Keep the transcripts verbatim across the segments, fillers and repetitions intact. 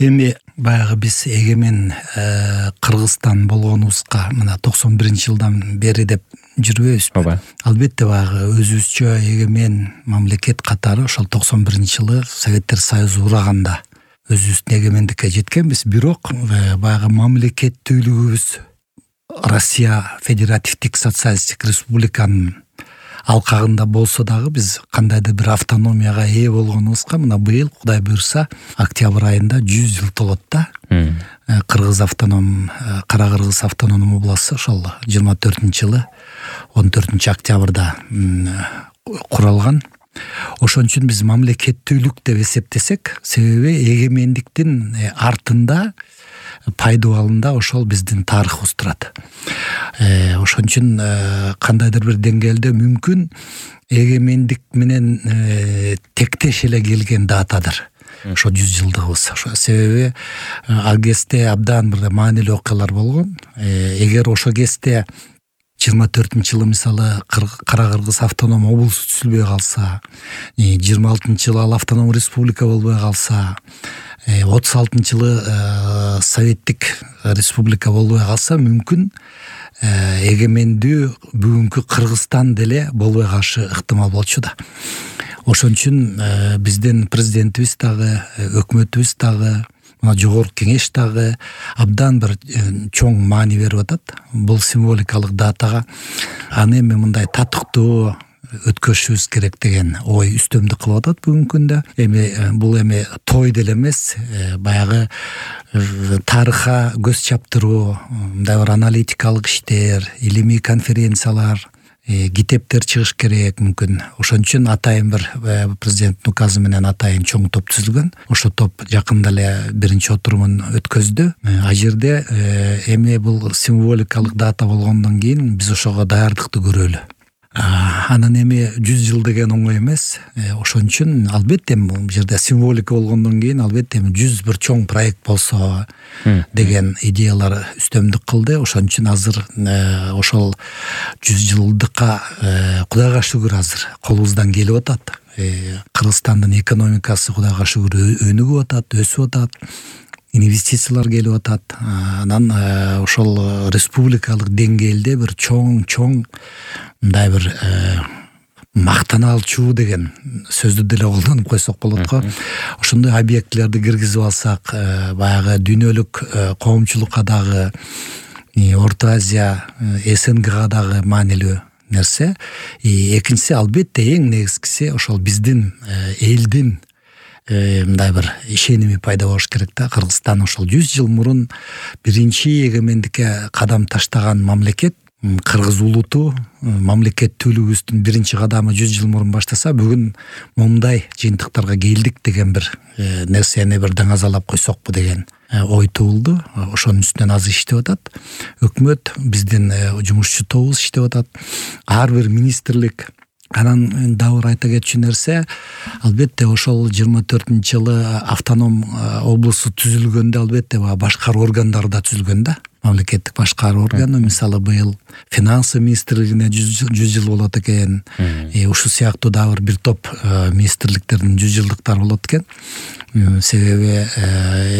Эми баягы биз эгемен Кыргызстан болгонубузга мына токсон биринчи жылдан бери деп жүрбөйбүзбү? Ооба. Албетте баягы өзүбүзчө эгемен мамлекет катары ошол токсон биринчи жылы Советтер Союзу ураганда өзүбүздүн эгемендикке жеткенбиз. Бирок баягы мамлекеттүүлүгүбүз Россия Федеративдик социалисттик республиканын алкагында болсо дагы биз кандайдыр бир автономияга ээ болгонубузга мына быйыл Кудай буйрса октябрь айында жүз жыл толот да. Кыргыз автоном Кара Кыргыз автономдуу областы ошол жыйырма төртүнчү жылы он төртүнчү октябрда куралган. Ошон үчүн биз мамлекеттүүлүк деп эсептесек, себеби эгемендиктин артында пайдубалында ошол биздин тарыхыбыз турат. Э, ошон үчүн кандайдыр бир деңгээлде мүмкүн эгемендик менен э, тектеш эле келген датадыр. Ошо жүз жылдыгыбыз. Ошо себеби ал кезде абдан бир маанилүү окуялар болгон. Э, эгер ошо кезде жыйырма төртүнчү жылы мисалы Кара Кыргыз автоном облусу түзүлбөй калса, жыйырма алтынчы жылы ал автоном республика болбой калса, отуз алтынчы жылы советтик республика болбой калса, мүмкүн эгемендүү бүгүнкү Кыргызстан деле болбой калышы ыктымал болчу да. Ошон үчүн биздин президентибиз дагы, өкмөтүбүз дагы, мына жогорку кеңеш дагы абдан бир чоң маани берип атат бул символикалык датага. Аны эми мындай татыктуу өткөрүшүбүз керек деген ой үстөмдүк кылып атат бүгүнкү күндө. Эми бул эми той деле эмес, баягы тарыхка көз чаптыруу, мындай бир аналитикалык иштер, илимий конференциялар, китептер чыгыш керек мүмкүн. Ошон үчүн атайын бир президенттин указы менен атайын чоң топ түзүлгөн. Ошо топ жакында эле биринчи отурумун өткөздү. А жерде эми бул символикалык дата болгондон кийин биз ошого даярдыкты көрөлү. Анан эми жүз жыл деген оңой эмес. Ошон үчүн албетте бул жерде символика болгондон кийин албетте жүз бир чоң проект болсо деген идеялар үстөмдүк кылды. Ошон үчүн азыр ошол жүз жылдыкка Кудайга шүгүр азыр колубуздан келип атат. Кыргызстандын экономикасы Кудайга шүгүр өнүгүп атат, өсүп атат. Инвестициялар келип атат. Анан ошол республикалык деңгээлде бир чоң-чоң мындай бир мактаналчу деген сөздү деле колдонуп койсок болот го. Ошондой объектилерди киргизип алсак, баягы дүйнөлүк коомчулукка дагы, Орто Азия, СНГга дагы маанилүү нерсе. Экинчиси албетте эң негизгиси ошол биздин элдин мындай бир ишеними пайда болуш керек да. Кыргызстан ошол жүз жыл мурун биринчи эгемендикке кадам таштаган мамлекет. Кыргыз улуту мамлекеттүүлүгүбүздүн биринчи кадамы жүз жыл мурун баштаса, бүгүн момундай жыйынтыктарга келдик деген бир нерсени бир даңазалап койсокпу деген ой туулду. Ошонун үстүнөн азыр иштеп атат. Өкмөт, биздин жумушчу тобубуз иштеп атат. Ар бир министрлик. Анан дагы бир айта кетчү нерсе, албетте ошол жыйырма төртүнчү жылы автоном облусу түзүлгөндө албетте башкаруу органдары да түзүлгөн да. Мамлекеттик башкаруу органы, мисалы быйыл финансы министрлигине жүз жыл болот экен. Ушул сыяктуу дагы бир топ министрликтердин жүз жылдыктары болот экен. Себеби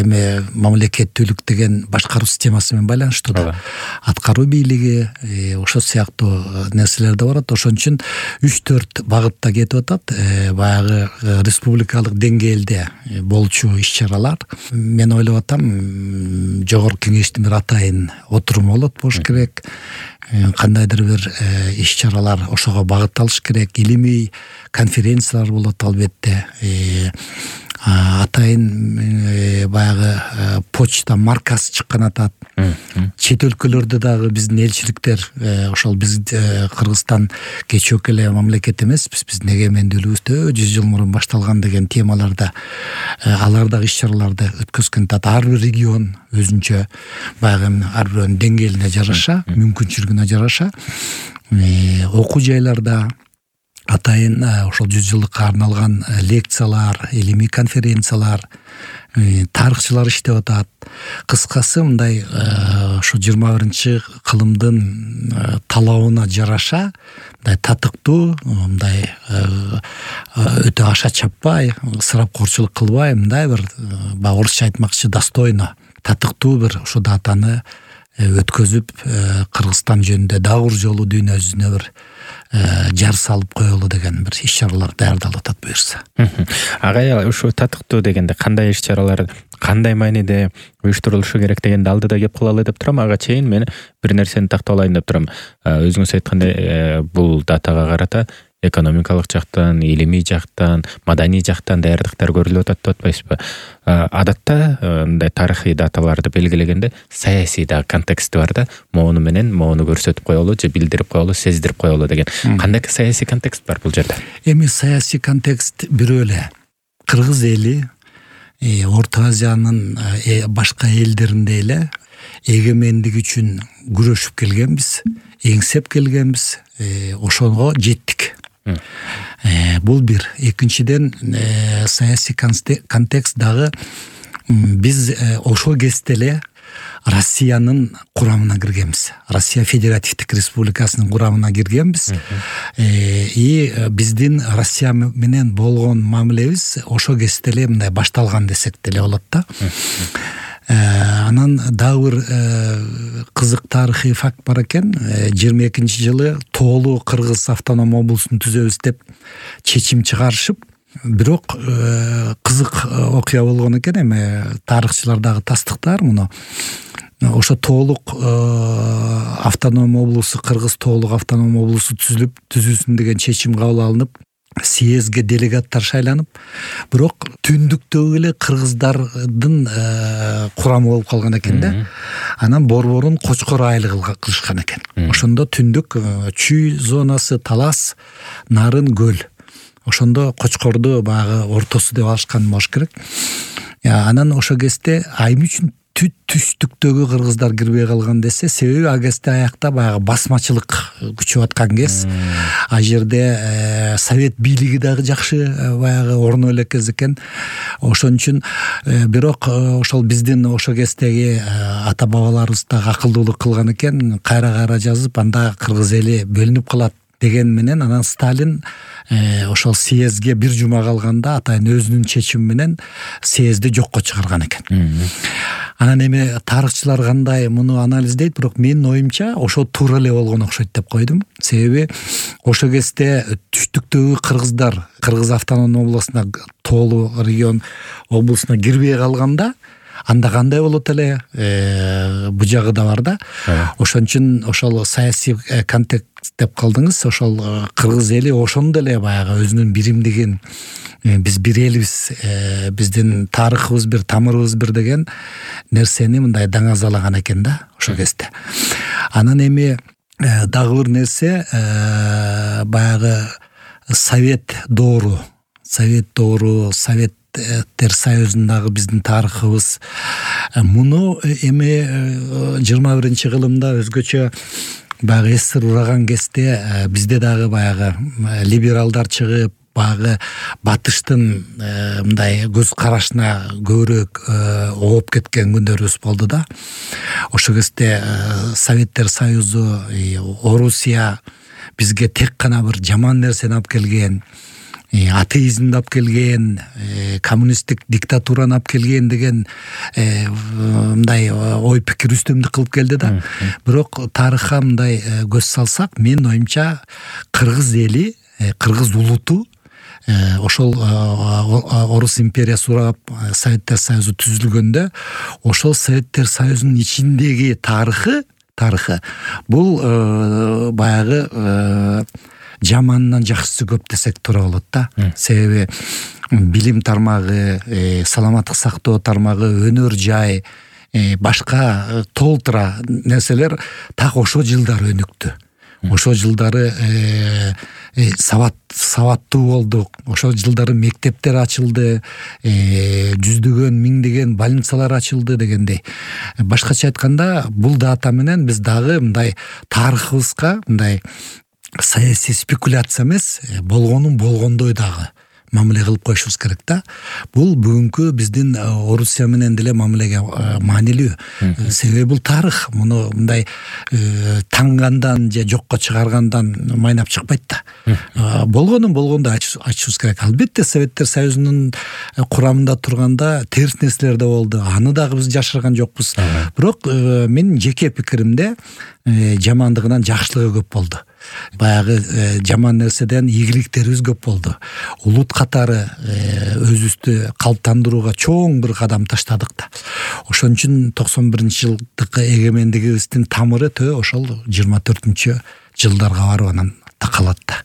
эми мамлекеттүүлүк деген башкаруу системасы менен байланыштуу да. Аткаруу бийлиги, ошол сыяктуу нерселер да бар. Ошон үчүн үч төрт багытта кетип атат. Баягы республикалык деңгээлде болчу иш-чаралар. Мен ойлоп атам, жогорку кеңештин бир атайын отуруму болот болуш керек. Кандайдыр бир иш-чаралар ошого багытталыш керек. Илимий конференциялар болот албетте. Атайын баягы почта маркасы чыккан атат. Чет өлкөлөрдө дагы биздин элчиликтер, ошол биз Кыргызстан кечөөк эле мамлекет эмеспиз, биздин эгемендүүлүгүбүз жүз жыл мурун башталган деген темаларда алар дагы иш-чараларды өткөзгөн атат. Ар бир регион өзүнчө баягы ар бирөөнүн деңгээлине жараша, мүмкүнчүлүгүнө жараша окуу жайларда атайын ошол жүз жылдыкка арналган лекциялар, илимий конференциялар, тарыхчылар иштеп атат. Кыскасы мындай ошо жыйырма биринчи кылымдын талабына жараша мындай татыктуу, мындай өтө аша чаппай, ысырапкорчулук кылбай, мындай бир баягы орусча айтмакчы достойно, татыктуу бир ошо датаны өткөзүп, Кыргызстан жөнүндө дагы бир жолу дүйнө жүзүнө бир жар салып коелу деген бир иш-чаралар даярдалып атат буюрса. Агай, ушу татыктуу дегенде кандай иш-чаралар, кандай мааниде уюштурулушу керек дегенди алдыда кеп кылалы деп турам. Ага чейин мен бир нерсени такталайын деп турам. Өзүңүз айткандай, бул датага карата экономикалык жактан, илимий жактан, маданий жактан даярдыктар көрүлүп атат деп атпайсызбы? Адатта мындай тарыхый даталарды белгилегенде саясий да контексти бар да, моуну менен моуну көрсөтүп коелу, же билдирип коелу, сездирип коелу деген. Кандай саясий контекст бар бул жерде? Эми саясий контекст бирөө эле. Кыргыз эли Орто Азиянын башка элдеринде эле эгемендик үчүн күрөшүп келгенбиз, эңсеп келгенбиз, ошого жеттик. Бул бир. Экинчиден, саясий контекст дагы биз ошол кезде эле Россиянын курамына киргенбиз. Россия Федеративдик Республикасынын курамына киргенбиз. И биздин Россия менен болгон мамилебиз ошол кезде эле мындай башталган десек деле болот да. Анан дагы бир кызык тарыхый факт бар экен. жыйырма экинчи жылы тоолуу Кыргыз автоном облусун түзөбүз деп чечим чыгарышып, бирок кызык окуя болгон экен. Эми тарыхчылар дагы тастыктаар муну. Ошо тоолук автоном облусу, Кыргыз тоолук автоном облусу түзүлүп, түзүлсүн деген чечим кабыл алынып, съездге делегаттар шайланып, бирок түндүктөгү эле кыргыздардын курамы болуп калган экен да. Анан борборун Кочкор айылы кылышкан экен. Ошондо түндүк Чүй зонасы, Талас, Нарын, Көл. Ошондо Кочкорду баягы ортосу деп алышкан болуш керек. Анан ошо кезде айым үчүн түштүктөгү кыргыздар кирбей калган десе, себеби ал кезде аякта баягы басмачылык күчөп аткан кез. А жерде совет бийлиги дагы жакшы баягы орно элек кез экен. Ошон үчүн бирок ошол биздин ошо кездеги ата бабаларыбыз дагы акылдуулук кылган экен, кайра-кайра жазып, анда кыргыз эли бөлүнүп калат деген менен анан Сталин ошол съездге бир жума калганда атайын өзүнүн чечими менен съездди жокко чыгарган экен. Анан эми тарыхчылар кандай муну анализдейт, бирок менин оюмча ошо туура эле болгон окшойт деп койдум. Себеби ошо кезде түштүктөгү кыргыздар Кыргыз автоном облусуна, тоолуу регион облусуна кирбей калганда, анда кандай болот эле, бу жагы да бар да. Ошон үчүн ошол саясий контекст деп калдыңыз. Ошол кыргыз эли ошондо эле баягы өзүнүн биримдигин, биз бир элбиз, биздин тарыхыбыз бир, тамырыбыз бир деген нерсени мындай даңазалаган экен да ошол кезде. Анан эми дагы бир нерсе, баягы совет доору, совет доору, совет Советтер Союзундагы биздин тарыхыбыз, муну эми жыйырма биринчи кылымда өзгөчө баягы эсир ураган кезде бизде дагы баягы либералдар чыгып, баягы батыштын мындай көз карашына көбүрөөк ооп кеткен күндөрүбүз болду да. Ошол кезде Советтер Союзу, Орусия бизге тек гана бир жаман нерсени алып келген, атеизмди алып келген, коммунисттик диктатураны алып келген деген мындай ой пикир үстөмдүк кылып келди да. Бирок тарыхка мындай көз салсак, менин оюмча кыргыз эли, кыргыз улуту ошол Орус империясы урап Советтер Союзу түзүлгөндө, ошол Советтер Союзунун ичиндеги тарыхы, тарыхы бул баягы жаманынан жакшысы көп десек туура болот да. Себеби билим тармагы, саламаттык сактоо тармагы, өнөр жай, башка толтура нерселер так ошол жылдары өнүктү. Ошол жылдары сабат сабаттуу болдук. Ошол жылдары мектептер ачылды, жүздөгөн, миңдеген больницалар ачылды дегендей. Башкача айтканда, бул дата менен биз дагы мындай тарыхыбызга мындай саясий спекуляция эмес, болгонун болгондой дагы мамиле кылып коюшубуз керек да. Бул бүгүнкү биздин Орусия менен деле мамилеге маанилүү. Себеби бул тарых. Муну мындай таңгандан же жокко чыгаргандан майнап чыкпайт да. Болгонун болгондой ачышыбыз керек. Албетте Советтер Союзунун курамында турганда терс нерселер да болду. Аны дагы биз жашырган жокпуз. Бирок менин жеке пикиримде жамандыгынан жакшылыгы көп болду. Баягы жаман нерседен ийгиликтерибиз көп болду. Улут катары өзүбүздү калыптандырууга чоң бир кадам таштадык да. Ошон үчүн токсон биринчи жылдык эгемендигибиздин тамыры төө ошол жыйырма төртүнчү жылдарга барып анан такалат да.